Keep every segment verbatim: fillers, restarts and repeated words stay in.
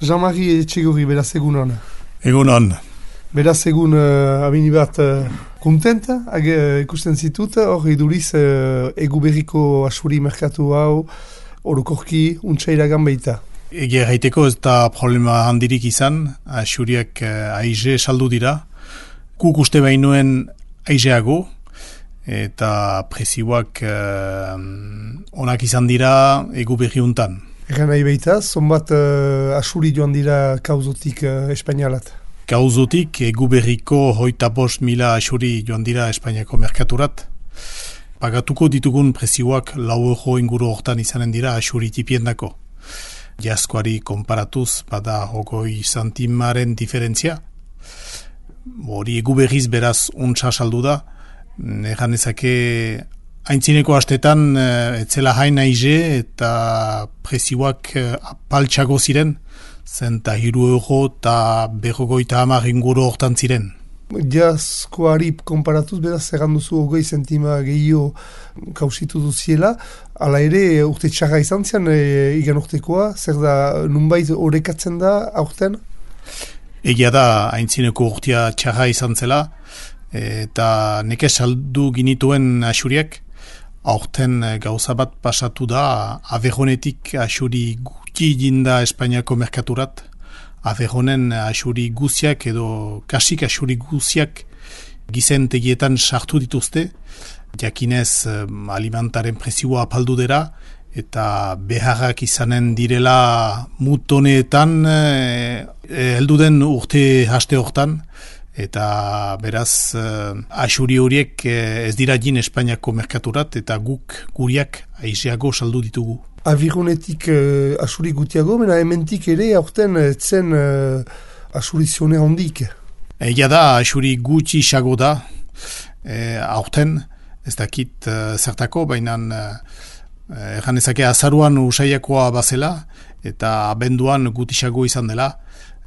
Jean-Marie Etxegorri, beraz egun hon. Egun hon. Beraz egun uh, abini bat uh, kontenta, ag, uh, ikusten zitut, hor iduriz uh, egu berriko asuri merkatu hau, orokorki, untsa iragan baita. Egia gaiteko ez da problema handirik izan, asuriak uh, aize saldu dira, guk uste bainuen aizeago, eta prezioak uh, onak izan dira egu berri untan. Egan nahi baita, zonbat uh, asuri joan dira kauzotik uh, espainialat? Kauzotik egu berriko hoita bost mila asuri joan dira Espainiako merkaturat. Pagatuko ditugun prezioak lau euro inguru hortan izanen dira asuri tipiendako. Jaskoari konparatuz bada hogoi santimaren diferentzia. Hori egu berriz beraz untsa saldu da. Egan ezake aintzineko astetan etzela hain aize eta prezioak apaltxago ziren, zenta hiru euro eta berrogoita hamar inguru hortan ziren. Jaskoari konparatuz beraz egan duzu hogei zentima gehiago kausitu duziela, ala ere urte txarra izan zian e, igan urtekoa, zer da nunbait orekatzen da aurten? Egia da aintzineko urtea txarra izan zela, eta neke saldu ginituen asuriak, aurten gauza bat pasatu da, Avejonetik asuri gutxi jinda Espainiako merkaturat, Avejonen asuri guziak edo kasik asuri guziak gizentegietan sartu dituzte, jakinez alimentaren prezioa apaldu dira, eta beharrak izanen direla mutoneetan heldu den urte haste hortan, eta beraz uh, asuri horiek uh, ez dira jin Espainiako merkaturat eta guk guriak aizeago saldu ditugu. Avironetik uh, asuri gutiago, mena hementik ere aurten zen uh, asuri zione hondik. Egia da asuri gutxi xago da e, aurten, ez dakit uh, zertako, baina uh, egan ezake azaruan usaiakoa bazela eta abenduan guti xago izan dela.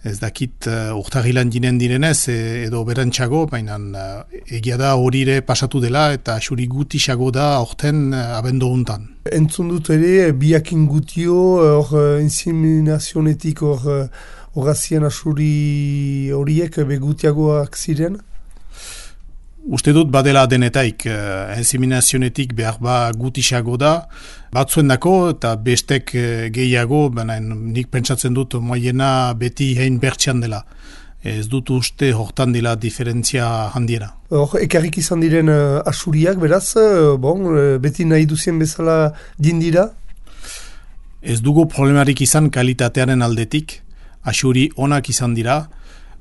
Ez dakit uh, urtagilan jinen direnez e, edo berantxago, baina uh, egia da horire pasatu dela eta asuri guti xago da aurten uh, abendo hontan. Entzun dut ere, biakin gutio, hor uh, inseminazionetik hor uh, horazien asuri horiek begutiagoak ziren? Uste dut badela denetaik, uh, inseminazionetik behar ba gutixago da, batzuen dako eta bestek uh, gehiago, baina nik pentsatzen dut moiena beti hein bertxean dela. Ez dut uste hortan dela diferentzia handiera. Hor, ekarrik izan diren uh, asuriak, beraz, uh, bon, uh, beti nahi duzien bezala dindira? Ez dugu problemarik izan kalitatearen aldetik, asuri onak izan dira,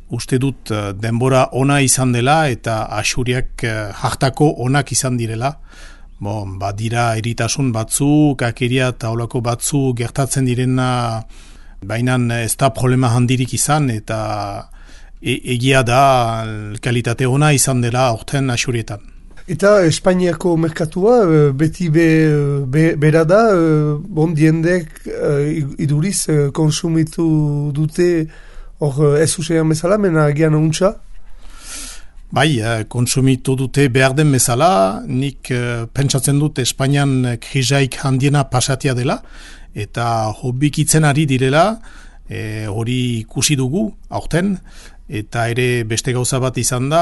uste dut denbora ona izan dela eta asuriak uh, hartako onak izan direla. Bon, badira eritasun batzu, kakeria eta olako batzu gertatzen direna, baina ez da problema handirik izan eta e egia da kalitate ona izan dela aurten asurietan. Eta Espainiako merkatua beti be, be, bera da, bon diendek iduriz konsumitu dute hor ez usean bezala, mena gian untsa? Bai, konsumitu dute behar den bezala, nik uh, pentsatzen dut Espainian krizaik handiena pasatia dela, eta hobikitzen ari direla, e, hori ikusi dugu, aurten, eta ere beste gauza bat izan da,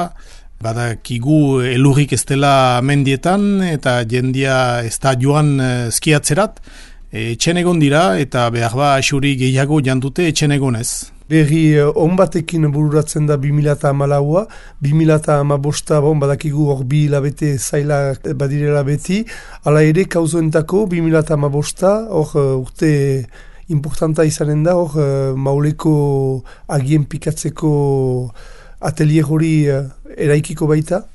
badakigu elurrik ez dela mendietan, eta jendia ez da joan uh, skiatzerat, etxen egon dira, eta behar ba asuri gehiago jandute etxen egonez. Berri on batekin bururatzen da bi mila hamalaua, bi mila hamabosta bon, badakigu hor bi hilabete zaila badirela beti, hala ere kauzoentako bi mila hamabosta hor urte importanta izanen da, hor mauleko agien pikatzeko atelier hori eraikiko baita?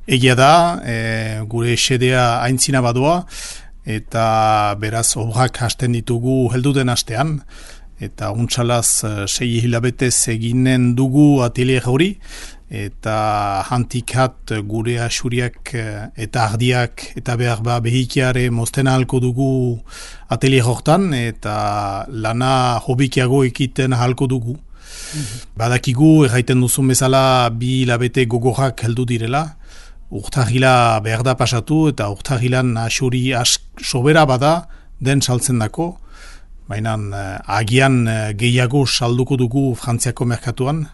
Egia da, e, gure xedea aintzina badoa, eta beraz obrak hasten ditugu helduden astean, eta untsalaz sei hilabetez eginen dugu atelier hori, eta hantikat gure asuriak eta ardiak eta behar ba behikiare mozten ahalko dugu atelier hortan, eta lana hobikiago ekiten ahalko dugu. Mm-hmm. Badakigu, erraiten duzun bezala, bi hilabete gogorrak heldu direla, urtagila behar da pasatu, eta urtagilan asuri ask sobera bada den saltzen dako, baina uh, agian uh, gehiago salduko dugu Frantziako merkatuan.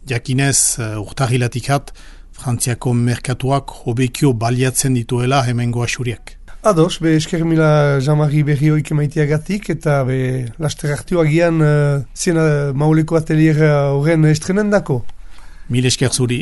Jakinez, uh, urtahilatik hat, Frantziako merkatuak hobekio baliatzen dituela hemengo asuriak. Ados, be esker mila Jean-Marie Berrioik emaiteagatik, eta be laster hartu agian uh, ziena mauleko atelier horren estrenen dako. Mil esker zuri.